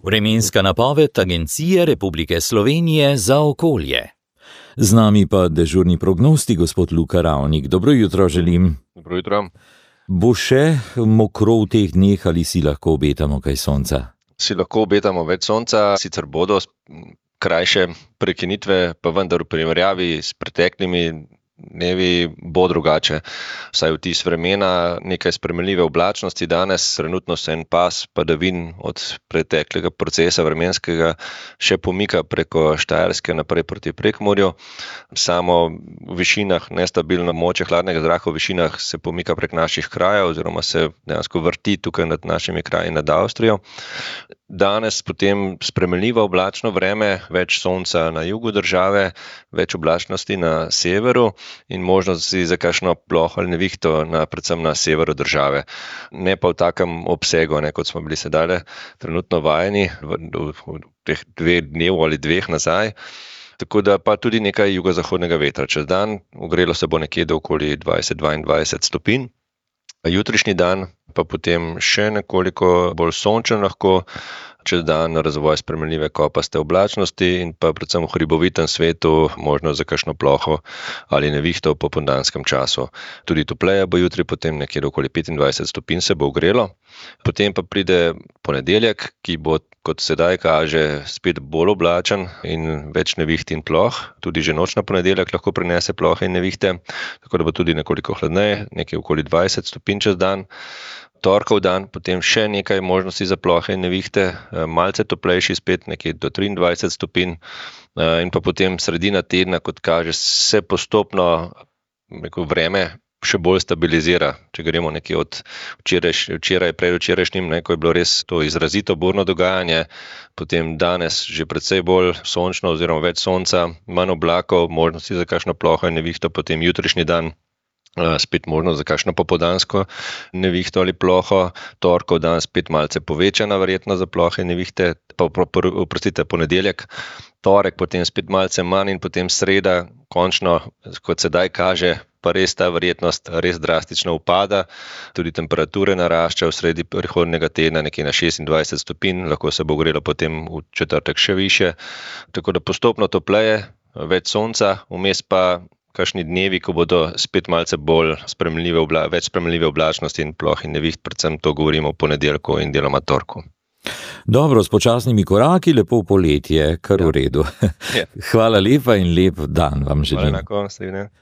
Vremenska napoved Agencije Republike Slovenije za okolje. Z nami pa dežurni prognostik, gospod Luka Ravnik. Dobro jutro želim. Dobro jutro. Bo še mokro v teh dneh ali si lahko obetamo kaj sonca? Si lahko obetamo več sonca, sicer bodo krajše prekinitve, pa vendar v primerjavi s preteklimi dnevi bo drugače. Vsaj vtis vremena, nekaj spremenljive oblačnosti danes, trenutno se en pas padavin od preteklega procesa vremenskega še pomika preko Štajerske naprej proti Prekmurju. Samo v višinah, nestabilno moče hladnega zraka v višinah se pomika prek naših krajev oziroma se dejansko vrti tukaj nad našimi kraji nad Avstrijo. Danes potem spremenljivo oblačno vreme, več sonca na jugu države, več oblačnosti na severu in možnosti za kakšno ploho ali nevihto predvsem na severu države. Ne pa v takem obsegu, kot smo bili sedaj trenutno vajeni v teh 2 dnev ali 2 nazaj. Tako da pa tudi nekaj jugozahodnega vetra. Čez dan ogrelo se bo nekje do okoli 20-22 stopinj. Jutrišnji dan pa potem še nekoliko bolj sončen lahko, čez dan razvoj spremenljive kopaste oblačnosti in pa predvsem v hribovitem svetu možno za kakšno ploho ali nevihto v popoldanskem času. Tudi topleje bo jutri, potem nekje do okoli 25 stopinj se bo ogrelo. Potem pa pride ponedeljek, ki bo, kot sedaj kaže, spet bolj oblačen in več neviht in ploh. Tudi že noč na ponedeljek lahko prinese plohe in nevihte, tako da bo tudi nekoliko hladneje, nekje okoli 20 stopinj čez dan. Torkov dan, potem še nekaj možnosti za plohe in nevihte, malce toplejši spet, nekje do 23 stopinj in pa potem sredina tedna, kot kaže, se postopno vreme še bolj stabilizira. Če gremo nekje od predvčerajšnjim, ko je bilo res to izrazito burno dogajanje, potem danes že precej bolj sončno oziroma več sonca, manj oblakov, možnosti za kakšno ploho in nevihto, potem jutrišnji dan spet možno za kakšno popoldansko nevihto ali ploho, torkov dan spet malce povečana verjetno za plohe in nevihte, ponedeljek, torek potem spet malce manj in potem sreda, končno, kot sedaj kaže, pa res ta verjetnost res drastično upada, tudi temperature naraščajo v sredi prihodnjega tedna nekje na 26 stopinj, lahko se bo ogrelo potem v četrtek še više, tako da postopno topleje, več sonca, vmes pa kakšni dnevi, ko bodo spet malce bolj več spremenljive oblačnosti in ploh in neviht, predvsem to govorimo o ponedeljku in deloma torku. Dobro, s počasnimi koraki, lepo poletje, kar v redu. Hvala lepa in lep dan vam želim. Hvala enako,